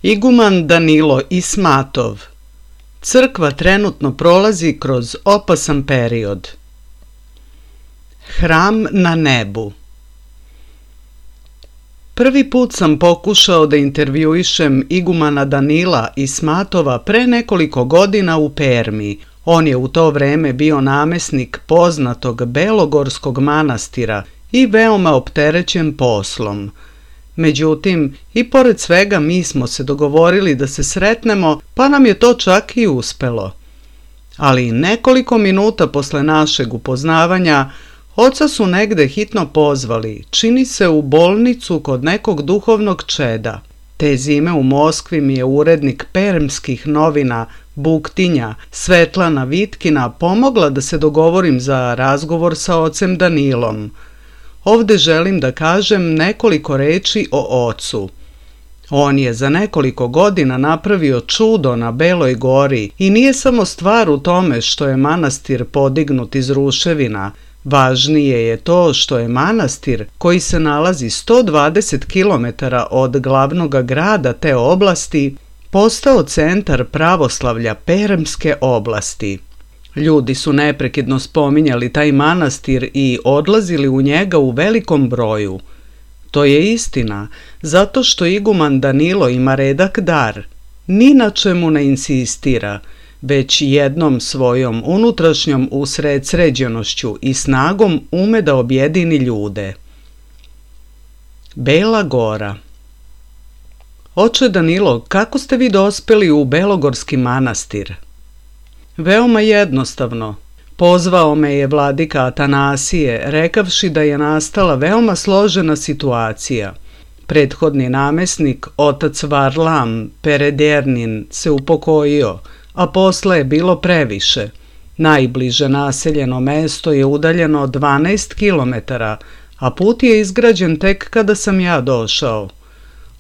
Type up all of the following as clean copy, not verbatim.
Iguman Danilo Ismatov. Crkva trenutno prolazi kroz opasan period. Hram na nebu. Prvi put sam pokušao da intervjuišem igumana Danila Ismatova pre nekoliko godina u Permi. On je u to vreme bio namesnik poznatog Belogorskog manastira i veoma opterećen poslom. Međutim, i pored svega mi smo se dogovorili da se sretnemo, pa nam je to čak i uspelo. Ali nekoliko minuta posle našeg upoznavanja, oca su negde hitno pozvali, čini se u bolnicu kod nekog duhovnog čeda. Te zime u Moskvi mi je urednik permskih novina Buktinja, Svetlana Vitkina, pomogla da se dogovorim za razgovor sa ocem Danilom. Ovde želim da kažem nekoliko reči o ocu. On je za nekoliko godina napravio čudo na Beloj gori i nije samo stvar u tome što je manastir podignut iz ruševina. Važnije je to što je manastir, koji se nalazi 120 km od glavnog grada te oblasti, postao centar pravoslavlja Permske oblasti. Ljudi su neprekidno spominjali taj manastir i odlazili u njega u velikom broju. To je istina, zato što iguman Danilo ima redak dar. Ni na čemu ne insistira, već jednom svojom unutrašnjom usredsređenošću i snagom ume da objedini ljude. Bela Gora. Oče Danilo, kako ste vi dospeli u Belogorski manastir? Veoma jednostavno. Pozvao me je vladika Atanasije, rekavši da je nastala veoma složena situacija. Prethodni namesnik, otac Varlam Peredernin, se upokojio, a posle je bilo previše. Najbliže naseljeno mesto je udaljeno 12 km, a put je izgrađen tek kada sam ja došao.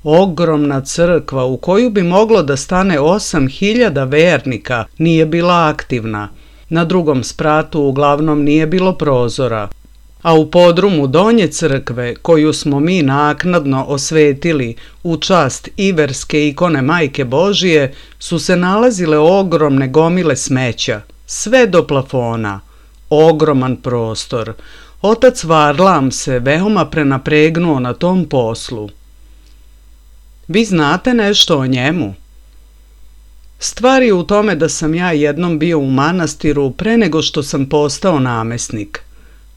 Ogromna crkva u koju bi moglo da stane 8.000 vernika nije bila aktivna. Na drugom spratu uglavnom nije bilo prozora. A u podrumu donje crkve, koju smo mi naknadno osvetili u čast iverske ikone Majke Božije, su se nalazile ogromne gomile smeća, sve do plafona. Ogroman prostor. Otac Varlam se veoma prenapregnuo na tom poslu. Vi znate nešto o njemu? Stvar je u tome da sam ja jednom bio u manastiru pre nego što sam postao namesnik.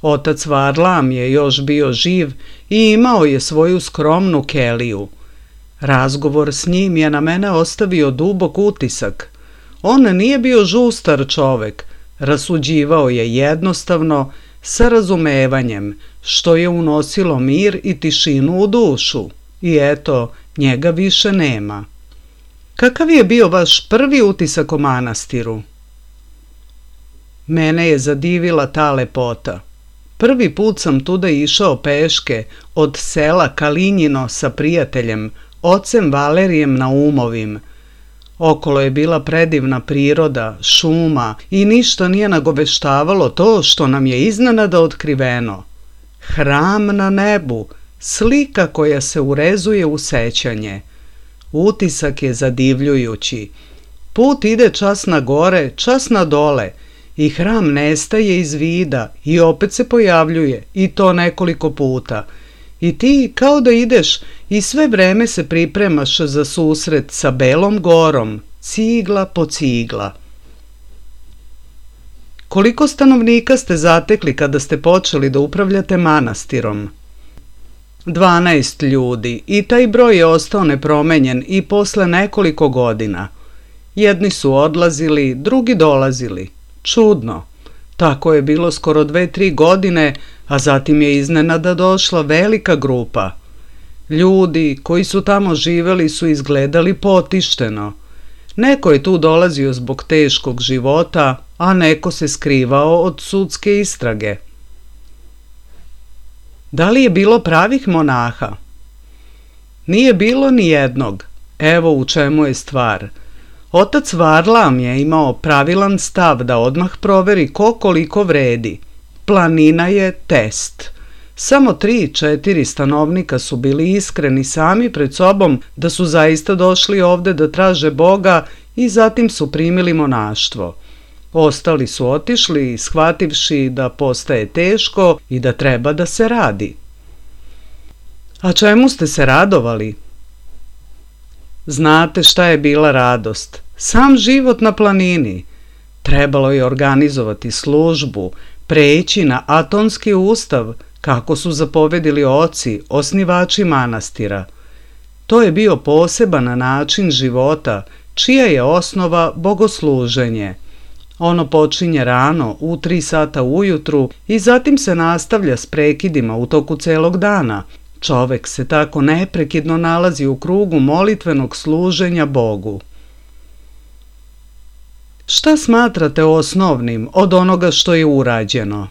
Otac Varlam je još bio živ i imao je svoju skromnu keliju. Razgovor s njim je na mene ostavio dubok utisak. On nije bio žustar čovek, rasuđivao je jednostavno, sa razumevanjem, što je unosilo mir i tišinu u dušu. I eto, njega više nema. Kakav je bio vaš prvi utisak o manastiru? Mene je zadivila ta lepota. Prvi put sam tuda išao peške od sela Kalinjino sa prijateljem, ocem Valerijem Naumovim. Okolo je bila predivna priroda, šuma i ništa nije nagoveštavalo to što nam je iznenada otkriveno. Hram na nebu, slika koja se urezuje u sećanje. Utisak je zadivljujući. Put ide čas na gore, čas na dole i hram nestaje iz vida i opet se pojavljuje i to nekoliko puta. I ti kao da ideš i sve vreme se pripremaš za susret sa Belom Gorom, cigla po cigla. Koliko stanovnika ste zatekli kada ste počeli da upravljate manastirom? 12 ljudi i taj broj je ostao nepromenjen i posle nekoliko godina. Jedni su odlazili, drugi dolazili. Čudno. Tako je bilo skoro 2-3 godine, a zatim je iznenada došla velika grupa. Ljudi koji su tamo živeli su izgledali potišteno. Neko je tu dolazio zbog teškog života, a neko se skrivao od sudske istrage. Da li je bilo pravih monaha? Nije bilo ni jednog. Evo u čemu je stvar. Otac Varlam je imao pravilan stav da odmah proveri ko koliko vredi. Planina je test. Samo 3-4 stanovnika su bili iskreni sami pred sobom da su zaista došli ovde da traže Boga i zatim su primili monaštvo. Ostali su otišli, shvativši da postaje teško i da treba da se radi. A čemu ste se radovali? Znate šta je bila radost? Sam život na planini. Trebalo je organizovati službu, preći na atonski ustav, kako su zapovedili oci, osnivači manastira. To je bio poseban način života, čija je osnova bogosluženje. Ono počinje rano, u 3 sata ujutru i zatim se nastavlja s prekidima u toku celog dana. Čovek se tako neprekidno nalazi u krugu molitvenog služenja Bogu. Šta smatrate osnovnim od onoga što je urađeno?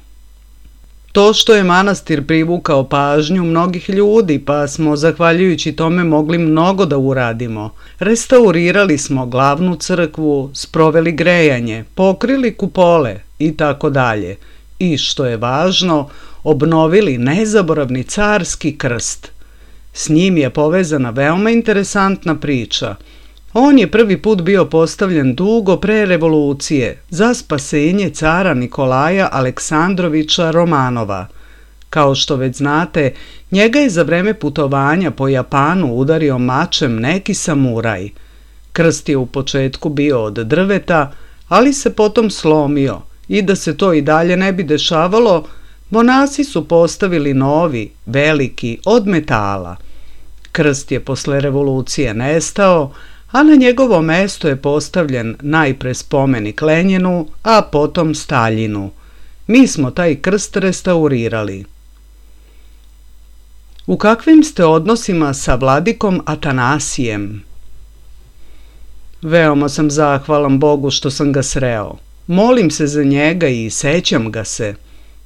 To što je manastir privukao pažnju mnogih ljudi, pa smo zahvaljujući tome mogli mnogo da uradimo. Restaurirali smo glavnu crkvu, sproveli grejanje, pokrili kupole i tako dalje. I što je važno, obnovili nezaboravni carski krst. S njim je povezana veoma interesantna priča. On je prvi put bio postavljen dugo pre revolucije za spasenje cara Nikolaja Aleksandrovića Romanova. Kao što već znate, njega je za vreme putovanja po Japanu udario mačem neki samuraj. Krst je u početku bio od drveta, ali se potom slomio i da se to i dalje ne bi dešavalo, monasi su postavili novi, veliki, od metala. Krst je posle revolucije nestao, a na njegovo mesto je postavljen najpre spomenik Lenjinu, a potom Staljinu. Mi smo taj krst restaurirali. U kakvim ste odnosima sa vladikom Atanasijem? Veoma sam zahvalan Bogu što sam ga sreo. Molim se za njega i sećam ga se.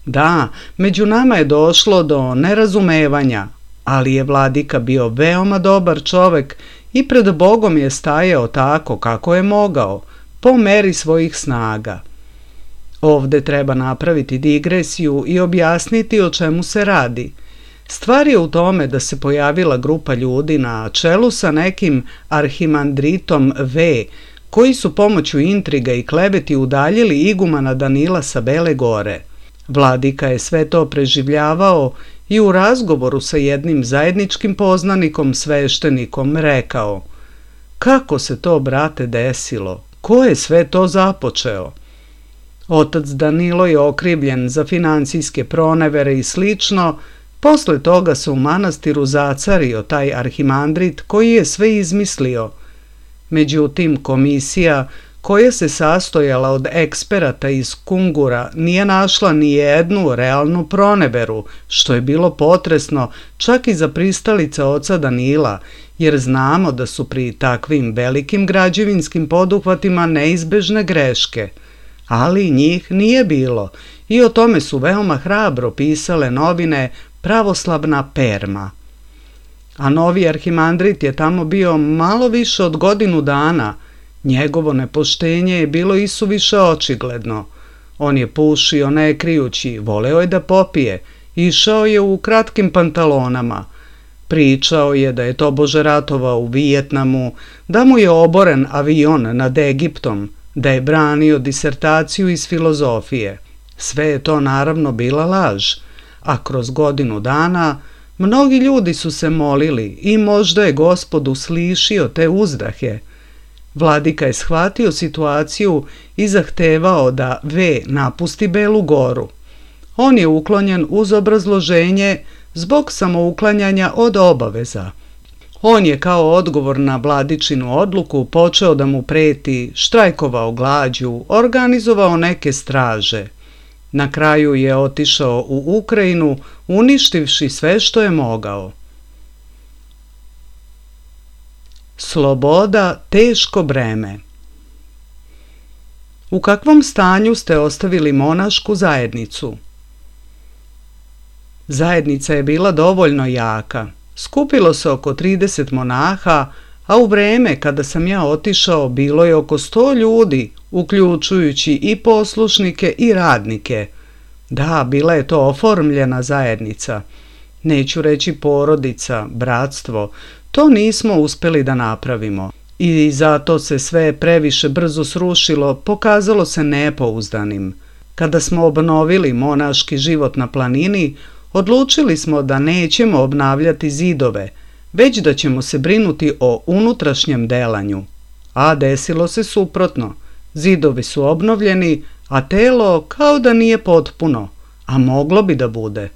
Da, među nama je došlo do nerazumevanja, ali je vladika bio veoma dobar čovek i pred Bogom je stajao tako kako je mogao, po meri svojih snaga. Ovde treba napraviti digresiju i objasniti o čemu se radi. Stvar je u tome da se pojavila grupa ljudi na čelu sa nekim arhimandritom V, koji su pomoću intriga i kleveti udaljili igumana Danila sa Bele gore. Vladika je sve to preživljavao i u razgovoru sa jednim zajedničkim poznanikom sveštenikom rekao: kako se to, brate, desilo? Ko je sve to započeo? Otac Danilo je okrivljen za finansijske pronevere i slično. Posle toga se u manastiru zacario taj arhimandrit koji je sve izmislio. Međutim, komisija koja se sastojala od eksperata iz Kungura nije našla ni jednu realnu proneveru, što je bilo potresno čak i za pristalice oca Danila, jer znamo da su pri takvim velikim građevinskim poduhvatima neizbežne greške. Ali njih nije bilo i o tome su veoma hrabro pisale novine Pravoslavna Perma. A novi arhimandrit je tamo bio malo više od godinu dana. Njegovo nepoštenje je bilo isuviše očigledno. On je pušio ne krijući, voleo je da popije, išao je u kratkim pantalonama. Pričao je da je tobože ratovao u Vijetnamu, da mu je oboren avion nad Egiptom, da je branio disertaciju iz filozofije. Sve je to naravno bila laž, a kroz godinu dana mnogi ljudi su se molili i možda je Gospod uslišio te uzdahe. Vladika je shvatio situaciju i zahtevao da V napusti Belu goru. On je uklonjen uz obrazloženje zbog samouklanjanja od obaveza. On je kao odgovor na vladičinu odluku počeo da mu preti, štrajkovao glađu, organizovao neke straže. Na kraju je otišao u Ukrajinu, uništivši sve što je mogao. Sloboda, teško breme. U kakvom stanju ste ostavili monašku zajednicu? Zajednica je bila dovoljno jaka. Skupilo se oko 30 monaha, a u vreme kada sam ja otišao bilo je oko 100 ljudi, uključujući i poslušnike i radnike. Da, bila je to oformljena zajednica. Neću reći porodica, bratstvo, to nismo uspjeli da napravimo. I zato se sve previše brzo srušilo, pokazalo se nepouzdanim. Kada smo obnovili monaški život na planini, odlučili smo da nećemo obnavljati zidove, već da ćemo se brinuti o unutrašnjem delanju. A desilo se suprotno. Zidovi su obnovljeni, a telo kao da nije potpuno, a moglo bi da bude.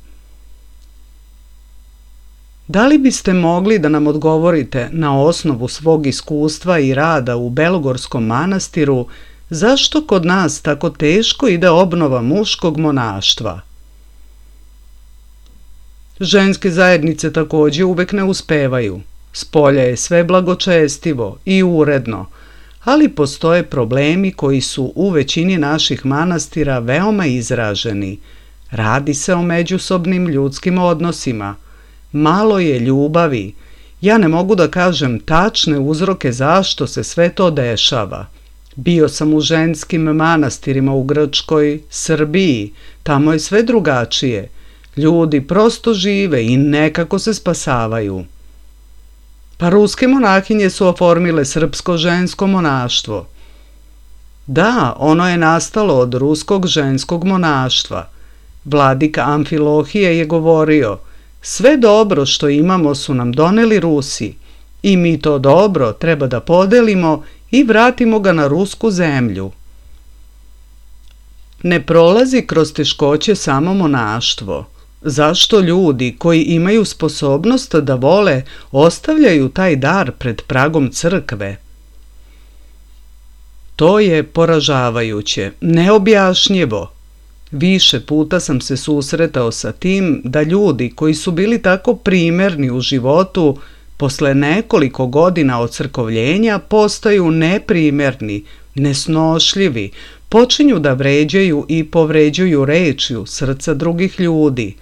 Da li biste mogli da nam odgovorite na osnovu svog iskustva i rada u Belogorskom manastiru zašto kod nas tako teško ide obnova muškog monaštva? Ženske zajednice također uvek ne uspevaju. Spolja je sve blagočestivo i uredno, ali postoje problemi koji su u većini naših manastira veoma izraženi. Radi se o međusobnim ljudskim odnosima. Malo je ljubavi. Ja ne mogu da kažem tačne uzroke zašto se sve to dešava. Bio sam u ženskim manastirima u Grčkoj, Srbiji. Tamo je sve drugačije. Ljudi prosto žive i nekako se spasavaju. Pa ruske monahinje su oformile srpsko žensko monaštvo. Da, ono je nastalo od ruskog ženskog monaštva. Vladika Amfilohije je govorio: sve dobro što imamo su nam doneli Rusi i mi to dobro treba da podelimo i vratimo ga na rusku zemlju. Ne prolazi kroz teškoće samo monaštvo. Zašto ljudi koji imaju sposobnost da vole ostavljaju taj dar pred pragom crkve? To je poražavajuće, neobjašnjivo. Više puta sam se susretao sa tim da ljudi koji su bili tako primerni u životu, posle nekoliko godina ocrkovljenja postaju neprimerni, nesnošljivi, počinju da vređaju i povređuju rečju srca drugih ljudi.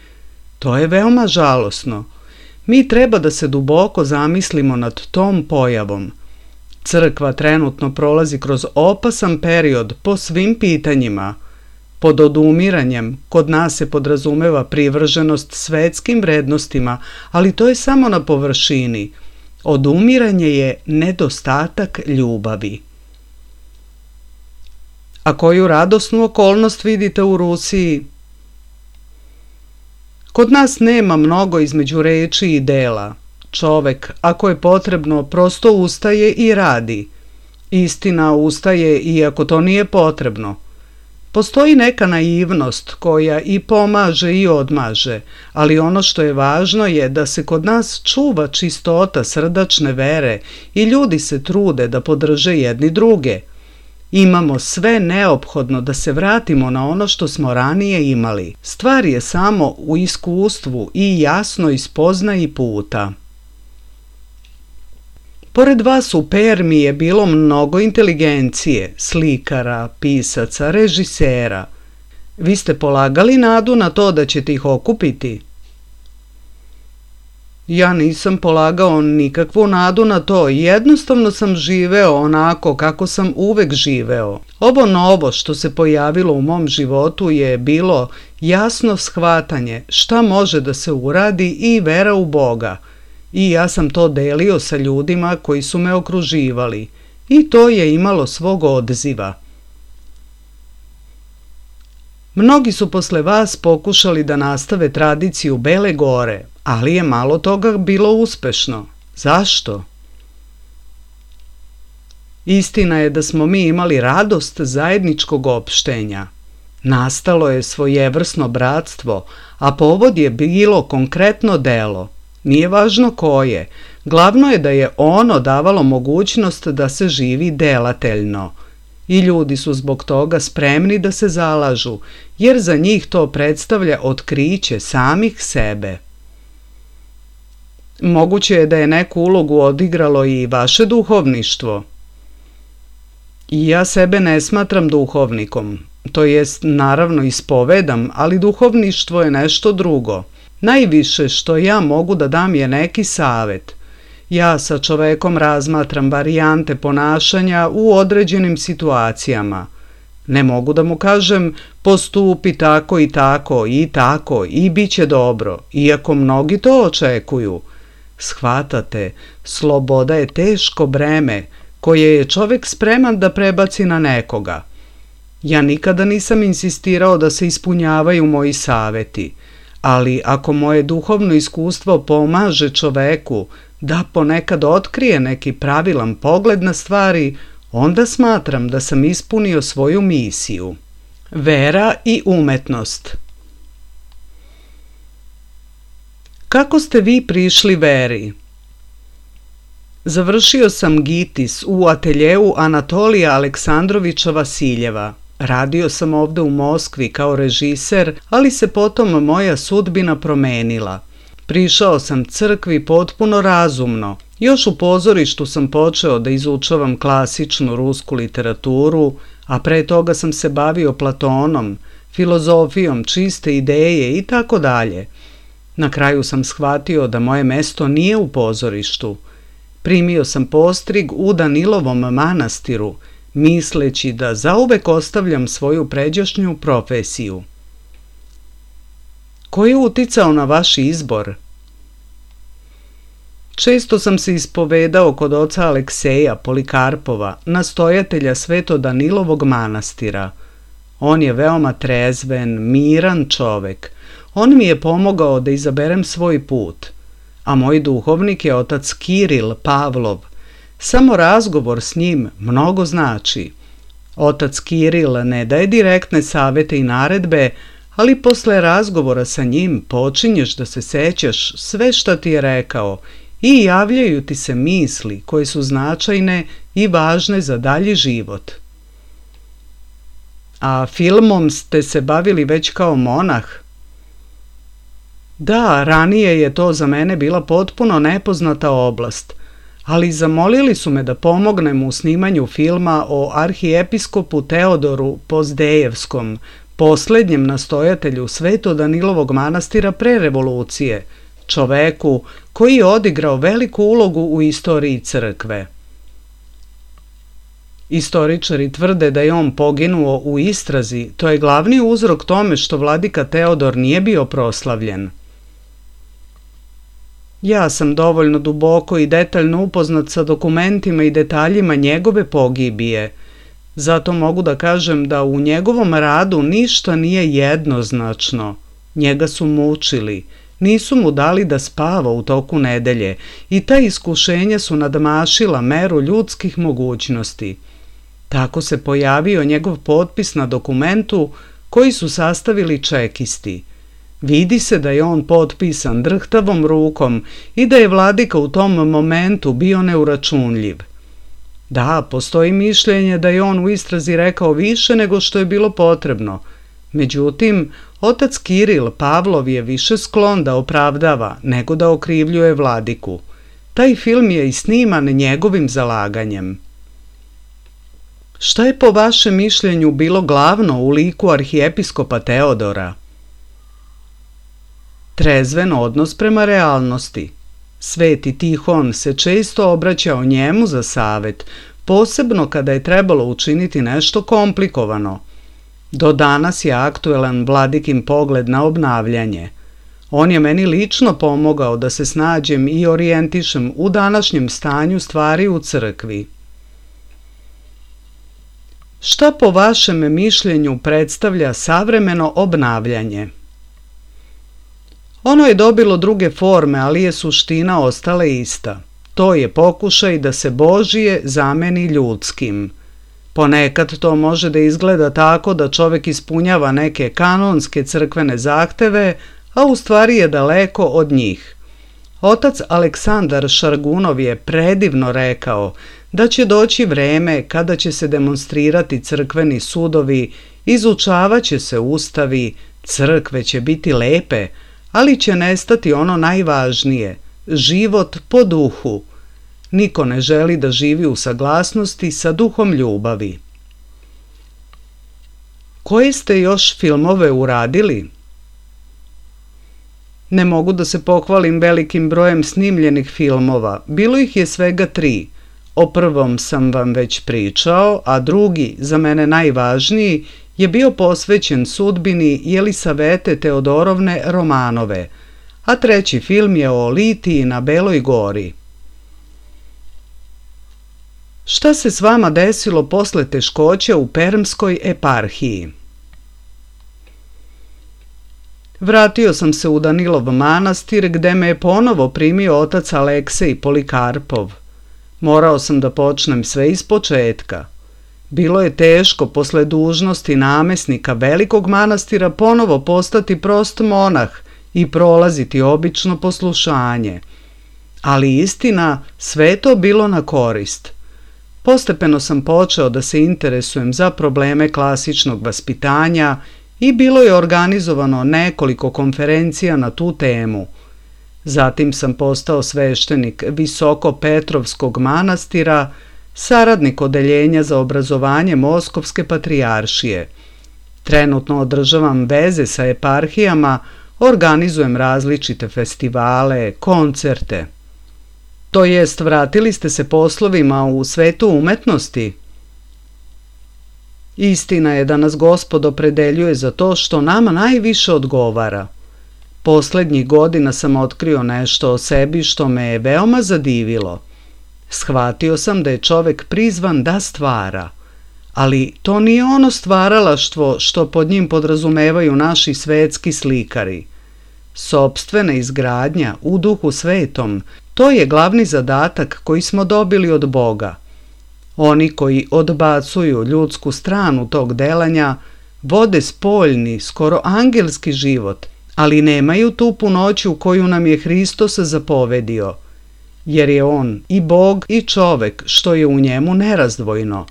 To je veoma žalosno. Mi treba da se duboko zamislimo nad tom pojavom. Crkva trenutno prolazi kroz opasan period po svim pitanjima. Pod odumiranjem kod nas se podrazumeva privrženost svetskim vrednostima, ali to je samo na površini. Odumiranje je nedostatak ljubavi. A koju radosnu okolnost vidite u Rusiji? Kod nas nema mnogo između reči i dela. Čovek, ako je potrebno, prosto ustaje i radi. Istina, ustaje iako to nije potrebno. Postoji neka naivnost koja i pomaže i odmaže, ali ono što je važno je da se kod nas čuva čistota srdačne vere i ljudi se trude da podrže jedni druge. Imamo sve neophodno da se vratimo na ono što smo ranije imali. Stvar je samo u iskustvu i jasnoj spoznaji puta. Pored vas u Permi je bilo mnogo inteligencije, slikara, pisaca, režisera. Vi ste polagali nadu na to da ćete ih okupiti? Ja nisam polagao nikakvu nadu na to, jednostavno sam živeo onako kako sam uvek živeo. Ovo novo što se pojavilo u mom životu je bilo jasno shvatanje šta može da se uradi i vera u Boga. I ja sam to delio sa ljudima koji su me okruživali i to je imalo svog odziva. Mnogi su posle vas pokušali da nastave tradiciju Bele Gore, ali je malo toga bilo uspešno. Zašto? Istina je da smo mi imali radost zajedničkog opštenja. Nastalo je svojevrsno bratstvo, a povod je bilo konkretno delo. Nije važno koje, glavno je da je ono davalo mogućnost da se živi delateljno. I ljudi su zbog toga spremni da se zalažu, jer za njih to predstavlja otkriće samih sebe. Moguće je da je neku ulogu odigralo i vaše duhovništvo. I ja sebe ne smatram duhovnikom, to jest naravno ispovedam, ali duhovništvo je nešto drugo. Najviše što ja mogu da dam je neki savet. Ja sa čovekom razmatram varijante ponašanja u određenim situacijama. Ne mogu da mu kažem postupi tako i bit će dobro, iako mnogi to očekuju. Shvatate, sloboda je teško breme koje je čovjek spreman da prebaci na nekoga. Ja nikada nisam insistirao da se ispunjavaju moji savjeti, ali ako moje duhovno iskustvo pomaže čoveku da ponekad otkrije neki pravilan pogled na stvari, onda smatram da sam ispunio svoju misiju. Vera i umetnost. Kako ste vi prišli veri? Završio sam GITIS u ateljeu Anatolija Aleksandrovića Vasiljeva. Radio sam ovdje u Moskvi kao režiser, ali se potom moja sudbina promenila. Prišao sam crkvi potpuno razumno. Još u pozorištu sam počeo da izučavam klasičnu rusku literaturu, a pre toga sam se bavio Platonom, filozofijom, čiste ideje i tako dalje. Na kraju sam shvatio da moje mesto nije u pozorištu. Primio sam postrig u Danilovom manastiru, misleći da zauvek ostavljam svoju pređašnju profesiju. Ko je uticao na vaš izbor? Često sam se ispovedao kod oca Alekseja Polikarpova, nastojatelja Sveto Danilovog manastira. On je veoma trezven, miran čovek. On mi je pomogao da izaberem svoj put. A moj duhovnik je otac Kiril Pavlov. Samo razgovor s njim mnogo znači. Otac Kiril ne daje direktne savjete i naredbe, ali posle razgovora sa njim počinješ da se sećaš sve što ti je rekao i javljaju ti se misli koje su značajne i važne za dalji život. A filmom ste se bavili već kao monah? Da, ranije je to za mene bila potpuno nepoznata oblast, ali zamolili su me da pomognem u snimanju filma o arhiepiskopu Teodoru Pozdejevskom, posljednjem nastojatelju Sveto Danilovog manastira pre revolucije, čoveku koji je odigrao veliku ulogu u istoriji crkve. Istoričari tvrde da je on poginuo u istrazi, to je glavni uzrok tome što vladika Teodor nije bio proslavljen. Ja sam dovoljno duboko i detaljno upoznat sa dokumentima i detaljima njegove pogibije. Zato mogu da kažem da u njegovom radu ništa nije jednoznačno. Njega su mučili, nisu mu dali da spava u toku nedelje i ta iskušenja su nadmašila meru ljudskih mogućnosti. Tako se pojavio njegov potpis na dokumentu koji su sastavili čekisti. Vidi se da je on potpisan drhtavom rukom i da je vladika u tom momentu bio neuračunljiv. Da, postoji mišljenje da je on u istrazi rekao više nego što je bilo potrebno. Međutim, otac Kiril Pavlov je više sklon da opravdava nego da okrivljuje vladiku. Taj film je i sniman njegovim zalaganjem. Šta je po vašem mišljenju bilo glavno u liku arhiepiskopa Teodora? Trezven odnos prema realnosti. Sveti Tihon se često obraćao njemu za savjet, posebno kada je trebalo učiniti nešto komplikovano. Do danas je aktuelan vladikin pogled na obnavljanje. On je meni lično pomogao da se snađem i orijentišem u današnjem stanju stvari u crkvi. Šta po vašem mišljenju predstavlja savremeno obnavljanje? Ono je dobilo druge forme, ali je suština ostala ista. To je pokušaj da se Božije zameni ljudskim. Ponekad to može da izgleda tako da čovjek ispunjava neke kanonske crkvene zahteve, a u stvari je daleko od njih. Otac Aleksandar Šargunov je predivno rekao da će doći vreme kada će se demonstrirati crkveni sudovi, izučavat će se ustavi, crkve će biti lepe, ali će nestati ono najvažnije, život po duhu. Niko ne želi da živi u saglasnosti sa duhom ljubavi. Koje ste još filmove uradili? Ne mogu da se pohvalim velikim brojem snimljenih filmova, bilo ih je svega 3. O prvom sam vam već pričao, a drugi, za mene najvažniji, je bio posvećen sudbini Jelisavete Teodorovne Romanove, a treći film je o Litiji na Beloj gori. Šta se s vama desilo posle teškoća u Permskoj eparhiji? Vratio sam se u Danilov manastir gde me je ponovo primio otac Aleksej Polikarpov. Morao sam da počnem sve iz početka. Bilo je teško posle dužnosti namesnika velikog manastira ponovo postati prost monah i prolaziti obično poslušanje. Ali istina, sve je to bilo na korist. Postepeno sam počeo da se interesujem za probleme klasičnog vaspitanja i bilo je organizovano nekoliko konferencija na tu temu. Zatim sam postao sveštenik Visokopetrovskog manastira, saradnik odeljenja za obrazovanje Moskovske patrijaršije. Trenutno održavam veze sa eparhijama, organizujem različite festivale, koncerte. To jest, vratili ste se poslovima u svetu umetnosti? Istina je da nas Gospod opredeljuje za to što nama najviše odgovara. Poslednjih godina sam otkrio nešto o sebi što me je veoma zadivilo. Shvatio sam da je čovek prizvan da stvara, ali to nije ono stvaralaštvo što pod njim podrazumevaju naši svetski slikari. Sopstvena izgradnja u duhu svetom, to je glavni zadatak koji smo dobili od Boga. Oni koji odbacuju ljudsku stranu tog delanja vode spoljni, skoro angelski život, ali nemaju tu punoću koju nam je Hristos zapovedio, jer je on i Bog i čovek što je u njemu nerazdvojno.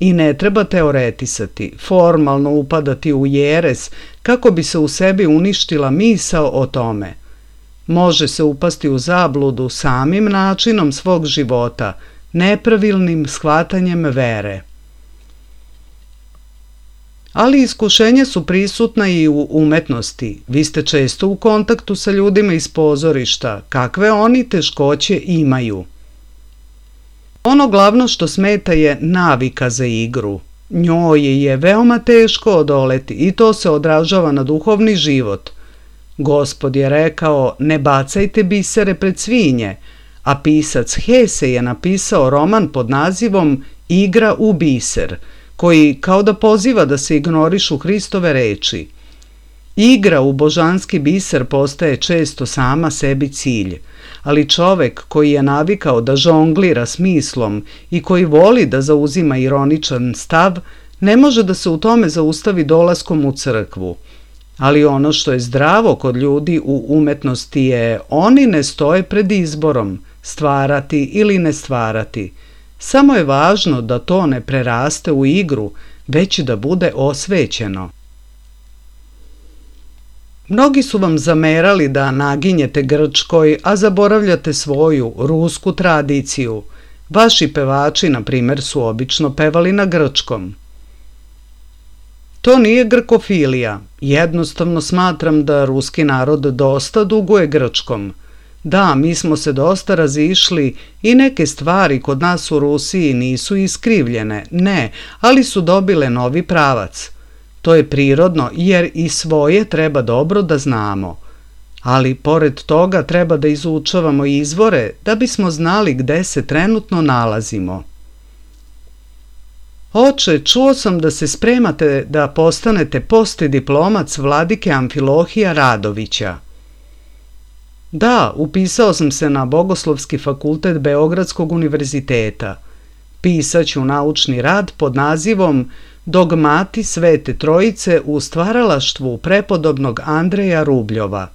I ne treba teoretisati, formalno upadati u jeres kako bi se u sebi uništila misao o tome. Može se upasti u zabludu samim načinom svog života, nepravilnim shvatanjem vere. Ali iskušenja su prisutna i u umetnosti. Vi ste često u kontaktu sa ljudima iz pozorišta, kakve oni teškoće imaju. Ono glavno što smeta je navika za igru. Njoj je veoma teško odoleti i to se odražava na duhovni život. Gospod je rekao, ne bacajte bisere pred svinje, a pisac Hese je napisao roman pod nazivom Igra u biser, koji kao da poziva da se ignorišu Hristove reči. Igra u božanski biser postaje često sama sebi cilj, ali čovek koji je navikao da žonglira smislom i koji voli da zauzima ironičan stav, ne može da se u tome zaustavi dolaskom u crkvu. Ali ono što je zdravo kod ljudi u umetnosti je, oni ne stoje pred izborom, stvarati ili ne stvarati. Samo je važno da to ne preraste u igru, već da bude osvećeno. Mnogi su vam zamerali da naginjete grčkoj, a zaboravljate svoju rusku tradiciju. Vaši pevači, na primjer, su obično pevali na grčkom. To nije grkofilija. Jednostavno smatram da ruski narod dosta duguje grčkom. Da, mi smo se dosta razišli i neke stvari kod nas u Rusiji nisu iskrivljene, ne, ali su dobile novi pravac. To je prirodno jer i svoje treba dobro da znamo. Ali pored toga treba da izučavamo izvore da bismo znali gde se trenutno nalazimo. Oče, čuo sam da se spremate da postanete postdiplomac vladike Amfilohija Radovića. Da, upisao sam se na Bogoslovski fakultet Beogradskog univerziteta. Pisaću naučni rad pod nazivom Dogmati Svete Trojice u stvaralaštvu prepodobnog Andreja Rubljova.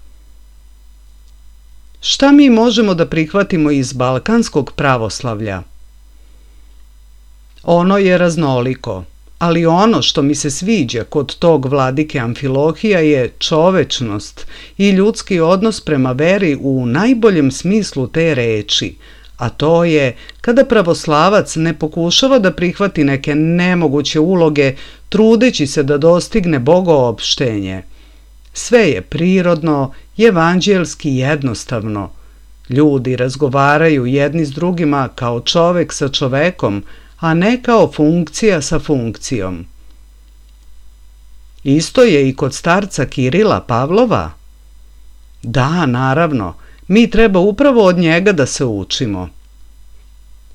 Šta mi možemo da prihvatimo iz balkanskog pravoslavlja? Ono je raznoliko, ali ono što mi se sviđa kod tog vladike Amfilohija je čovečnost i ljudski odnos prema veri u najboljem smislu te reči, a to je kada pravoslavac ne pokušava da prihvati neke nemoguće uloge trudeći se da dostigne bogoopštenje. Sve je prirodno, evanđelski jednostavno. Ljudi razgovaraju jedni s drugima kao čovek sa čovekom, a ne kao funkcija sa funkcijom. Isto je i kod starca Kirila Pavlova. Da, naravno, mi treba upravo od njega da se učimo.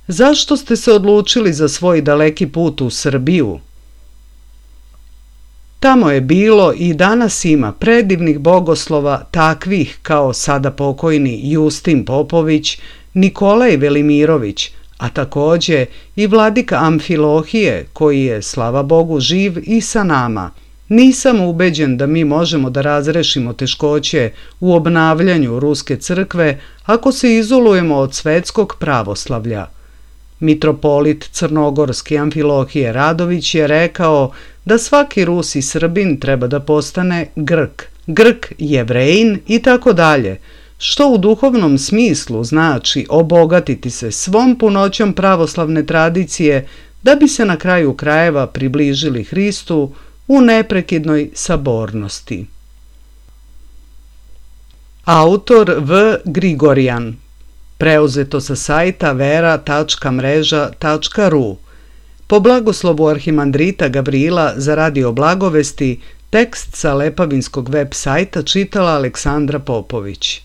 Zašto ste se odlučili za svoj daleki put u Srbiju? Tamo je bilo i danas ima predivnih bogoslova takvih kao sada pokojni Justin Popović, Nikolaj Velimirović, a takođe i vladika Amfilohije koji je, slava Bogu, živ i sa nama. Nisam ubeđen da mi možemo da razrešimo teškoće u obnavljanju Ruske crkve ako se izolujemo od svetskog pravoslavlja. Mitropolit crnogorski Amfilohije Radović je rekao da svaki Rus i Srbin treba da postane Grk, Grk Jevrejin i tako dalje, što u duhovnom smislu znači obogatiti se svom punoćom pravoslavne tradicije da bi se na kraju krajeva približili Hristu u neprekidnoj sabornosti. Autor V. Grigorjan. Preuzeto sa sajta vera.mreža.ru. Po blagoslovu arhimandrita Gavrila za radio blagovesti, tekst sa Lepavinskog web sajta čitala Aleksandra Popović.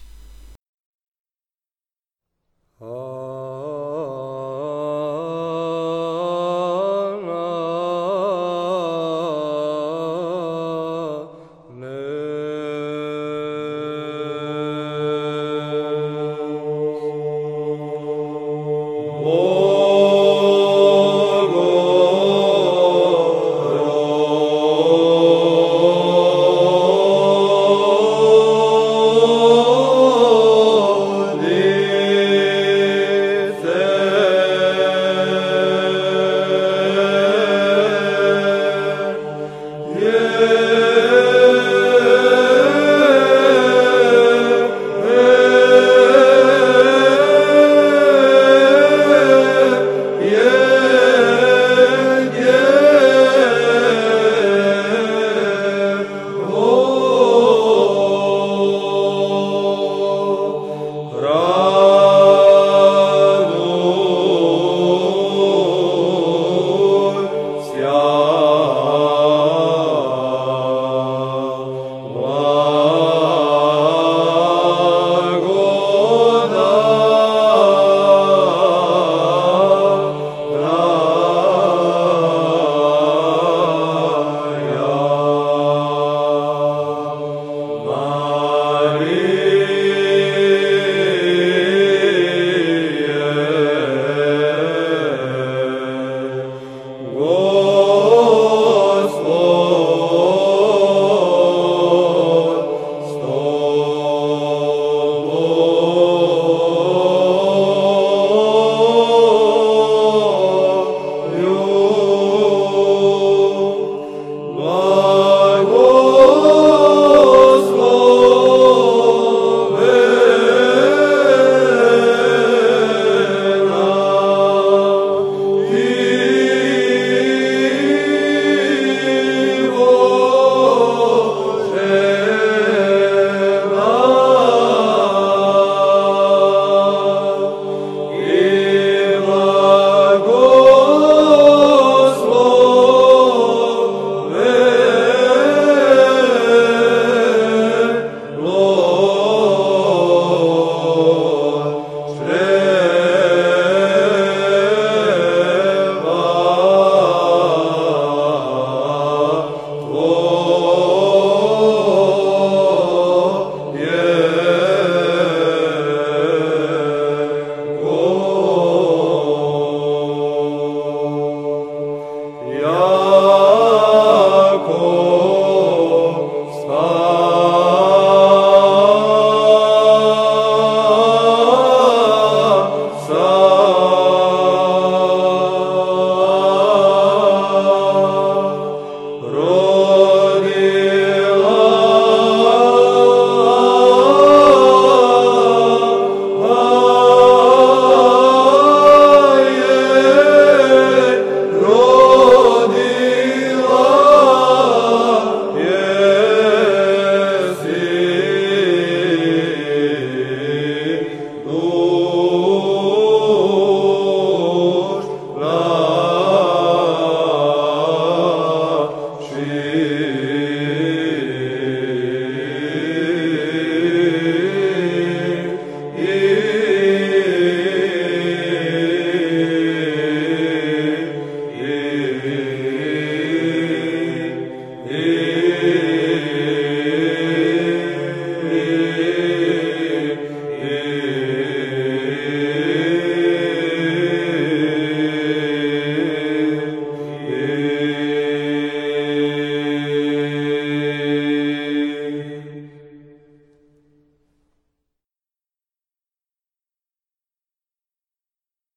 Amen.